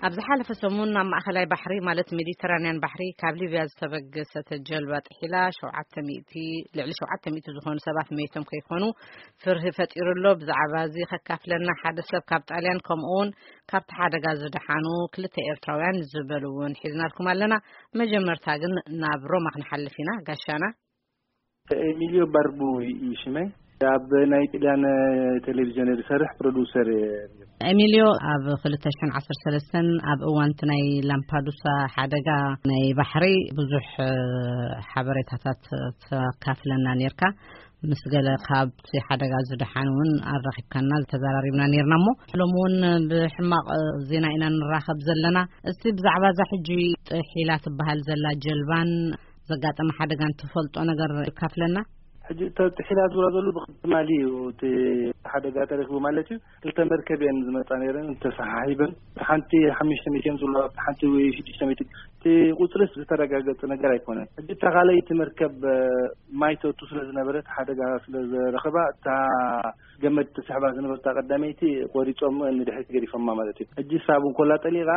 ኣብ ዝሓለፈ ሰሙን ናብ ማእኸላይ ባሕሪ፣ ማለት ሜዲተራንያን ባሕሪ፣ ካብ ሊብያ ዝተበገሰት ጀልባ ጥሒላ ሸውዓተ ሚእቲ፣ ልዕሊ ሸውዓተ ሚእቲ ዝኾኑ ሰባት መይቶም ከይኮኑ ፍርሂ ፈጢሩ ኣሎ። ብዛዕባ እዚ ከካፍለና ሓደ ሰብ ካብ ጣልያን፣ ከምኡ እውን ካብቲ ሓደጋ ዝደሓኑ ክልተ ኤርትራውያን ዝበሉ እውን ሒዝናልኩም ኣለና። መጀመርታ ግን ናብ ሮማ ክንሓልፍ ኢና። ጋሻና። ኤሚልዮ ባርቡ እዩ ሽመይ። ኣብ ናይ ጥልያን ቴሌቪዥን ዝሰርሕ ፕሮዲውሰር እየ። ኤሚልዮ፣ ኣብ ክልተ ሽሕን ዓሰርተ ሰለስተን ኣብ እዋን እቲ ናይ ላምፓዱሳ ሓደጋ ናይ ባሕሪ ብዙሕ፣ እ፣ ሓበሬታታት ተካፍለና ኔርካ። ምስ ገለ ካብቲ ሓደጋ ዝደሓኑ እውን ኣራኺብካና፣ ተዘራሪብና ኔርና። እሞ ሎሚ እውን ብሕማቕ ዜና ኢና ንራኸብ ዘለና። እስቲ ብዛዕባ እዛ ሕጂ ጥሒላ ትበሃል ዘላ ጀልባን ዘጋጠመ ሓደጋን ትፈልጦ ነገር ካፍለና? ሕጂ እታ ጥሒላ ዝብላ ዘሎ ብትማሊ እዩ እቲ ሓደጋ ተረኪቡ ማለት እዩ። ክልተ መርከብ እየን ዝመጻ ነይረን ተሰሓሒበን። ሓንቲ ሓሙሽተ ሚእቲ እዮም ዝብሉ፣ ሓንቲ ወይ ሽዱሽተ ሚእቲ። እቲ ቁጽርስ ዝተረጋገጸ ነገር ኣይኮነን። ሕጂ እታ ካልኣይቲ መርከብ፣ እ፣ ማይ ተእቱ ስለ ዝነበረት፣ ሓደጋ ስለ ዝረኸባ፣ እታ ገመድ ተስሕባ ዝነበርታ ቀዳመይቲ ቆሪጾም ንድሕሪት ገዲፎማ ማለት እዩ። ሕጂ ሳብ እንኮላ ጠሊቓ፣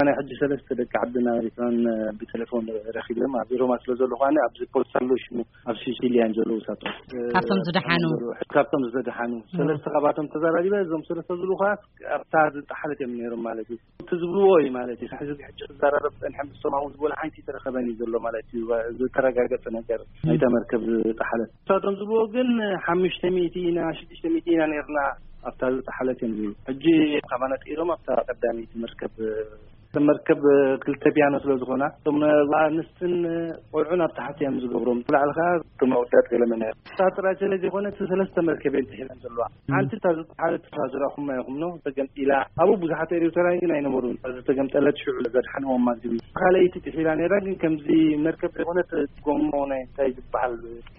ናይ ሕጂ ሰለስተ ደቂ ዓድና ኤሪትራን ብቴሌፎን ረኺበ፣ ኣብ ሮማ ስለ ዘለኹ ኣነ፣ ኣብዚ ፖስት ኣሎ ሽሙ፣ ኣብ ሲሲሊያን ዘለዉ ሳቶም። ካብቶም ዝደሓኑ? ካብቶም ዝደሓኑ። እ። ሰለስተ ካብኣቶም ተዘራሪበ፣ እዞም ሰለስተ ዝብሉ ከኣ ኣብታ ዝጠሓለት እዮም ነይሮም ማለት እዩ። እቲ ዝብልዎ እዩ ማለት እዩ። ሕዚ ሕጂ ክዘራረብ ጸኒሐ ምስቶም ኣብኡ ዝበሉ ሓንቲ ተረኸበኒ ዘሎ ማለት እዩ። ዝተረጋገጸ ነገር ናይታ መርከብ ዝጠሓለት። ንሳቶም ዝብልዎ ግን ሓሙሽተ ሚእቲ ኢና፣ ሽዱሽተ ሚእቲ ኢና ነርና ኣብታ ዝጠሓለት እዮም ዝብሉ። ሕጂ ካባና ጥኢሎም ኣብታ ቀዳመይቲ መርከብ፣ መርከብ ክልተ ፒያኖ ስለ ዝኾና፣ እቶም ኣንስትን ቆልዑን ኣብ ታሕቲ እዮም ዝገብሮም። ብላዕሊ ከኣ እቶም ኣወዳት ገለ መን እዮም። እሳ ጥራይ ስለ ዘይኮነ፣ እቲ ሰለስተ መርከብ እየን ጥሒለን ዘለዋ። ሓንቲ እታ ዝጠሓለት እታ ዝረኣኹማ ኢኹም ኖ፣ ተገምጢላ። ኣብኡ ብዙሓት ኤርትራውያን ግን ኣይነበሩን። እታ ዝተገምጠለት ሽዑ ዘድሓንዎም ማለት እዩ። ካልኣይቲ ጥሒላ ነይራ፣ ግን ከምዚ መርከብ ዘይኮነት፣ ጎማ ናይ እንታይ ዝበሃል፣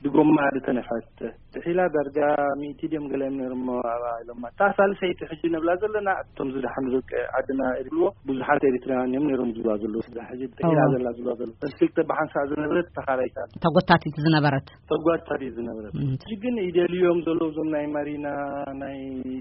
ብጎማ ዝተነፍሐት ጥሒላ። ዳርጋ ሚእቲ ድዮም ገለ እዮም ነይሮም ኣብኣ ኢሎማ። እታ ሳልሰይቲ ሕጂ ነብላ ዘለና፣ እቶም ዝደሓኑ ደቂ ዓድና ይብልዎ፣ ብዙሓት ኤርትራውያን እዮም ነይሮም ዝብልዋ ዘለዉ። እዛ ሕጂ ጥሒላ እዋ። ዘላ ዝብልዋ ዘለዉ። እተን ክልተ ብሓንሳእ ዝነበረት ተኻራይታ። ተጎታቲት ዝነበረት። ተጓታቲት ዝነበረት። እም። ሕጂ ግን ይደልዮም ዘለዉ እዞም ናይ ማሪና፣ ናይ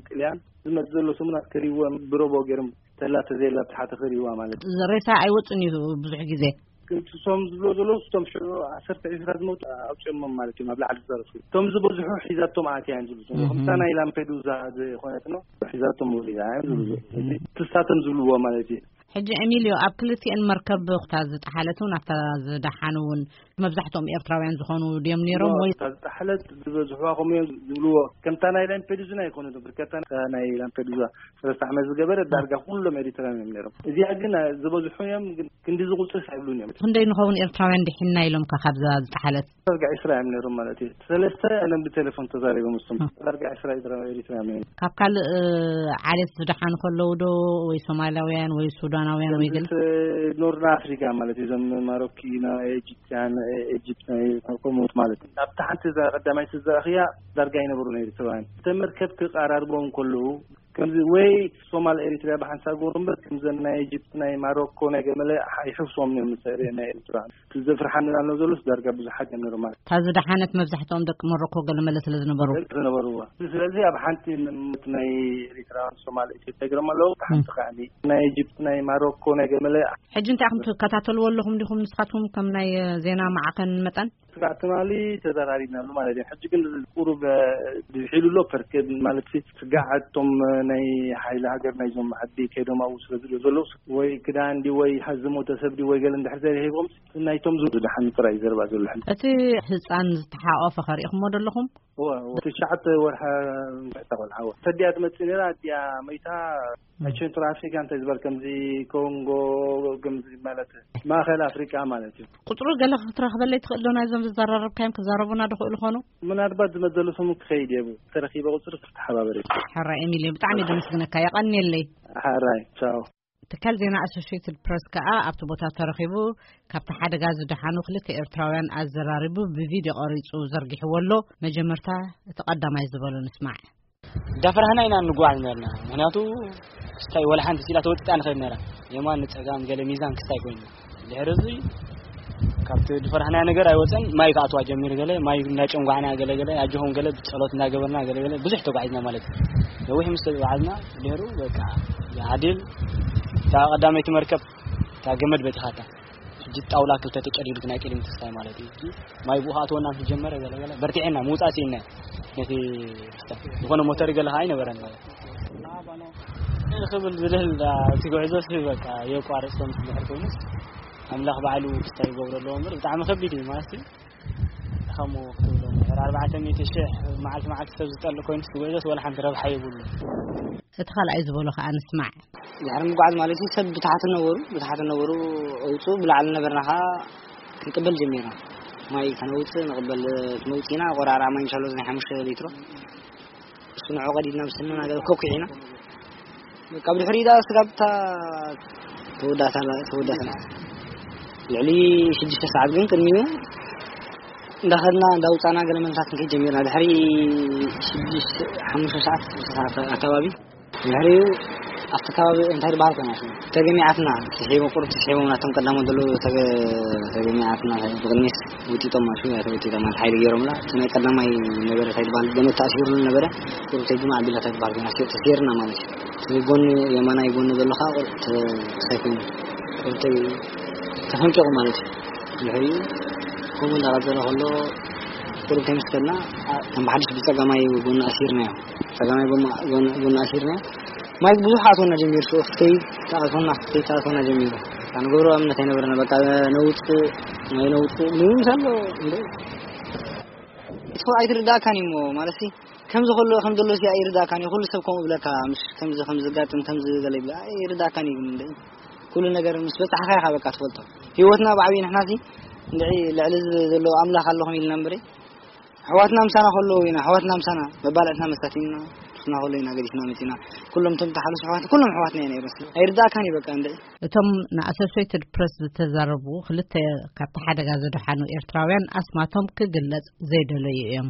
ጥልያን፣ ዝመጽእ ዘሎ ሰሙናት ከርእይዎም ብሮቦ ገይሮም፣ ተላ ተዘየላ ብታሕቲ ከርእይዋ ማለት እዩ። ሬሳ ኣይወጽን እዩ ብዙሕ ግዜ። ግን እቶም ዝብሎ ዘለዉ፣ እቶም ሽዑ ዓሰርተ ዒስራ ዝመቱ ኣውጺኦሞም ማለት እዮም፣ ኣብ ላዕሊ ዝተረፉ። እቶም ዝበዝሑ ሒዛቶም ኣትያ እዮም ዝብሉ ዘለዉ። እህ። ከምታ ናይ ላምፔዱዛ ዝኾነት ነው፣ ሒዛቶም ወሪዳ እዮም ዝብሉ ዘለዉ። እህ። እዚ ትሳቶም ዝብልዎ ማለት እዩ። ሕጂ ኤሚልዮ፣ ኣብ ክልቲኤን መርከብ እታ ዝጠሓለት እውን ኣብታ ዝደሓኑ እውን መብዛሕትኦም ኤርትራውያን ዝኾኑ ድዮም ነይሮም ኖ፣ ወይ? እታ ዝጠሓለት ዝበዝሕዋ ከምኡ እዮም ዝብልዎ። ከምታ ናይ ላምፔዱዛ ኣይኮነትን፣ ብርከታ ናይ ላምፔዱዛ ሰለስተ ዓመት ዝገበረ ዳርጋ ኩሎም ኤሪትራውያን እዮም ነይሮም። እዚኣ ግን ዝበዝሑ እዮም፣ ግን ክንዲ ዝቁፅርስ ኣይብሉን እዮም። ክንደይ ንኸውን ኤርትራውያን ድሒንና ኢሎምካ ካብዛ ዝጠሓለት? ዳርጋ ዒስራ እዮም ነይሮም ማለት እዩ። ሰለስተ ኣነ ብቴሌፎን ተዛሪቦም እሱም። እ። ዳርጋ ዒስራ ኤርትራ-፣ ኤሪትራውያን እዮም። ካብ ካልእ፣ እ፣ ዓሌት ዝደሓኑ ከለዉ ዶ ወይ ሶማላውያን ወይ ሱዳናውያን ወይ ገለ? ኖርና ኣፍሪካ ማለት እዩ። እዞም ማሮኪና፣ ኤጂፕትያን፣ ኤጂፕት ናይ ከምኡት ማለት እዩ። ኣብታ ሓንቲ እዛ ቀዳማይ ትዘራእኽያ ዳርጋ ኣይነበሩን ኤሪትራውያን። እተን መርከብ ክቀራርቦም ከለዉ ከምዚ ወይ ሶማል ኤሪትሪያ ብሓንሳብ ገሩ እምበር፣ ከምዘን ናይ ኢጅፕት፣ ናይ ማሮኮ፣ ናይ ገመለ ኣይሕፍሶም እዮም ምስ ኤሪ-፣ ናይ ኤሪትራ። እቲ ዘፍርሓኒ ኣሎ ዘሎስ ዳርጋ ብዙሓት እዮም ነይሮም ማለት። እታ ዝደሓነት መብዛሕትኦም ደቂ ሞሮኮ ገለመለ ስለ ዝነበሩ። ደቂ ዝነበርዋ። ስለዚ ኣብ ሓንቲ ም-፣ ናይ ኤሪትራ፣ ሶማል፣ ኢትዮጵያ ገሮም ኣለዉ፣ ብሓንቲ ም። ከዓኒ ናይ ኢጅፕት፣ ናይ ማሮኮ፣ ናይ ገመለ። ሕጂ እንታይ ኢኹም ትከታተልዎ ኣለኹም ዲኹም ንስኻትኩም ከም ናይ ዜና ማዕኸን መጠን? ስጋዕ ትማሊ ተዘራሪብናሉ ማለት እዩ። ሕጂ ግን ቁሩብ፣ እ፣ ድሒሉ ኣሎ፣ ፐርኬ ማለት ሲ-፣ ስጋዕ እቶም፣ እ፣ ናይ ሓይሊ ሃገር ናይዞም ዓዲ ከይዶም ኣብኡ ስለ ዝብሉ ዘለዉ፣ ወይ ክዳን ድዩ ወይ ሃዝሞ ተሰብ ድዩ ወይ ገለ እንድሕር ዘይረኺቦም፣ ናይቶም ዝብሉ ዝደሓኑ ጥራይ እዩ ዘረባ ዘሎ ሕጂ። እቲ ህጻን ዝተሓቆፈ ከ ርኢኹሞ ዶ ኣለኹም? እወ፣ እወ። ትሽዓተ ወርሒ ምሕታ ቆልዓ፣ እወ። ሰዲያ ትመጽእ ነይራ፣ ኣዲኣ መይታ፣ ናይ ቸንትራል ኣፍሪካ እንታይ ዝበል፣ ከምዚ ኮንጎ፣ ከምዚ ማለት ማእኸል ኣፍሪካ ማለት እዩ። ቁፅሩ ገለ ክትረኽበለይ ትኽእል ዶ? ናይዞም ዝዘራረብካዮም ክዛረቡና ዶ ክእሉ ኾኑ? ምናልባት ዝመዘሉ ሰሙን ክኸይድ እየ፣ ተረኺበ ቁፅሪ ክተሓባበር እየ። ሕራይ ኤሚልዮ፣ ብጣዕሚ ደመስግነካ፣ የቐንየለይ። ሕራይ፣ ቻው። ትካል ዜና ኣሶሽየትድ ፕረስ ከኣ ኣብቲ ቦታ ተረኺቡ ካብቲ ሓደጋ ዝደሓኑ ክልተ ኤርትራውያን ኣዘራሪቡ ብቪድዮ ቀሪጹ ዘርጊሕዎ ኣሎ። መጀመርታ እቲ ቀዳማይ ዝበሎ ንስማዕ። እንዳፈራህና ኢና እንጓዓዝ ነርና። ምኽንያቱ ክስታይ ወላ ሓንቲ ሲላ ተወጢጣ ንኸይድ ነራ። የማን ንጸጋም ገለ ሚዛን ክስታይ ኮይንና። ድሕሪ እዚ ካብቲ ዝፈራህናዮ ነገር ኣይወጸን። ማይ ክኣትዋ ጀሚሩ ገለ፣ ማይ እንዳጨንጓዕና ገለ ገለ፣ ኣጆኹም ገለ፣ ብጸሎት እንዳገበርና ገለ ገለ፣ ብዙሕ ተጓዒዝና ማለት እዩ። ነዊሕ ምስ ተጓዓዝና ድሕሩ በቃ ዓዲል እታ ቀዳመይቲ መርከብ እታ ገመድ በቲኻታ። ሕጂ ጣውላ ክልተ ተጨዲዱ ናይ ቅድሚ ተስፋይ ማለት እዩ። ሕጂ ማይ ብኡ ኣትወና ምስ ጀመረ ገለ ገለ በርቲዕና ምውጻእ ስኢና። ነቲ ክስታይ ዝኾነ ሞተር ገለ ከዓ ኣይነበረን ማለት እዩ። ክብል ዝልህል እቲ ጉዕዞ ሲ በቃ የቋርጾም ድሕር ኮይኑስ ኣምላኽ ባዕሉ ክስታይ ይገብሮ ኣለዎ እምበር ብጣዕሚ ከቢድ እዩ ማለት እዩ። ከምኡ ክትብሎ እምበር ኣርባዕተ ሚእቲ ሽሕ መዓልቲ መዓልቲ ሰብ ዝጠልእ ኮይኑ እቲ ጉዕዞስ ወላ ሓንቲ ረብሓ የብሉ። እቲ ካልኣይ ዝበሎ ከዓ ንስማዕ። ድሕሪ ምጓዓዝ ማለት እዩ ሰብ ብታሕቲ ነበሩ፣ ብታሕቲ ነበሩ፣ ኣውፁ ብላዕሊ ነበርና ከዓ ክንቅበል ጀሚርና። ማይ ከነውፅእ ንቕበል መውፂና ቆራርዓ ማይ እንሻሎ ናይ ሓሙሽተ ሊትሮ እሱ ንዑ ቀዲድና ብስንና ገለ ኮኩ ኢና። ካብ ድሕሪ ዳ ስጋብታ ተወዳእታ ተወዳእታ ልዕሊ ሽዱሽተ ሰዓት ግን ቅድሚኡ እንዳኸድና እንዳውፃና ገለ መንታት ክንከይድ ጀሚርና። ድሕሪ ሽዱሽተ ሓሙሽተ ሰዓት ሽዱሽተ ሰዓት ኣካባቢ ድሕሪኡ ኣብቲ ከባቢ እንታይ ዝበሃል ኮይና ሽሙ ተገሚዓትና ትስሒቦ ቁሩብ ትስሒቦም ናቶም ቀዳሞት ዘለዉ ተገ- ተገሚዓትና ብቕድሚት ውጢጦም ማለት እዩ ተወጢጦም ማለት ሓይሊ ገይሮምላ እቲ ናይ ቀዳማይ ነበረ እንታይ ዝበሃል ገመድ ተኣሲሩ ነበረ ቁሩብ ተጅማ ኣቢላ እንታይ ዝበሃል ኮይና ተሲርና ማለት እዩ እቲ ጎኒ የማናይ ጎኒ ዘሎ ከዓ ቁሩብ ተሳይኮይኑ ቁሩብ ተይ- ተፈንቂቑ ማለት እዩ ድሕሪኡ ከምኡ እንዳቐፀለ ከሎ ቁሩብ ተምስከልና ከም ብሓድሽ ብፀጋማይ ጎኒ ኣሲርናዮ ፀጋማይ ጎማ- ጎኒ ጎኒ ኣሲርናዮ ማይ ብዙሕ ኣትወና ጀሚሩ ሽዑ ክትከይድ ተኣትወና ክትከይድ ተኣትወና ጀሚሩ ንገብሮ እምነት ኣይነበረና በቃ ነውፅእ ማይ ነውፅእ ምንም ዘሎ እንደ እቲ ኣይትርዳእካን እዩ እሞ ማለት ከምዚ ከሎ ከም ዘሎ ሲ ኣይርዳእካን እዩ ኩሉ ሰብ ከምኡ ብለካ ምሽ ከምዚ ከም ዝጋጥም ከምዚ ገለ ይብላ ኣይርዳእካን እዩ እንደ ኩሉ ነገር ምስ በጻሕካ ኢኻ በቃ ትፈልጦ ህይወትና ብዓብዪ ንሕና ሲ እንደ ልዕሊ እዚ ዘሎ ኣምላኽ ኣለኹም ኢልና እምበረ ኣሕዋትና ምሳና ከለዉ ኢና ኣሕዋትና ምሳና መባልዕትና መሳቲና ሱና ከሎ ኢና ገዲፍና መፂና ኩሎም ቶም ተሓለሱ ኣሕዋት ኩሎም ኣሕዋትና ኢና ይረስና ኣይርዳእካን እዩ በቃ እንደ እቶም ንኣሶሴትድ ፕረስ ዝተዛረቡ ክልተ ካብቲ ሓደጋ ዝደሓኑ ኤርትራውያን ኣስማቶም ክግለጽ ዘይደለዩ እዮም።